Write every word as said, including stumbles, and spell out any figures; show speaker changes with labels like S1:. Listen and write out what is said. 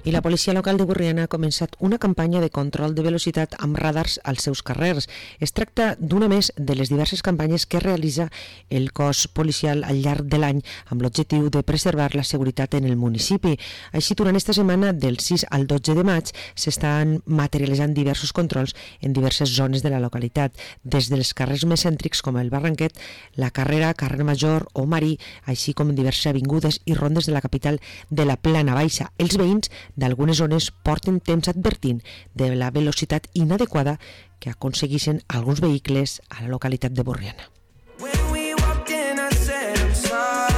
S1: I la policia local de Borriana ha començat una campanya de control de velocitat amb radars als seus carrers. Es tracta d'una més de les diverses campanyes que realitza el cos policial al llarg de l'any amb l'objectiu de preservar la seguretat en el municipi. Així, durant esta setmana, del sis al dotze de maig, s'estan materialitzant diversos controls en diverses zones de la localitat, des dels carrers més cèntrics com el Barranquet, la Carrera, Carrer Major o Marí, així com diverses avingudes i rondes de la capital de la Plana Baixa. Els veïns d'algunes zones porten temps advertint de la velocitat inadequada que aconsegueixen alguns vehicles a la localitat de Borriana.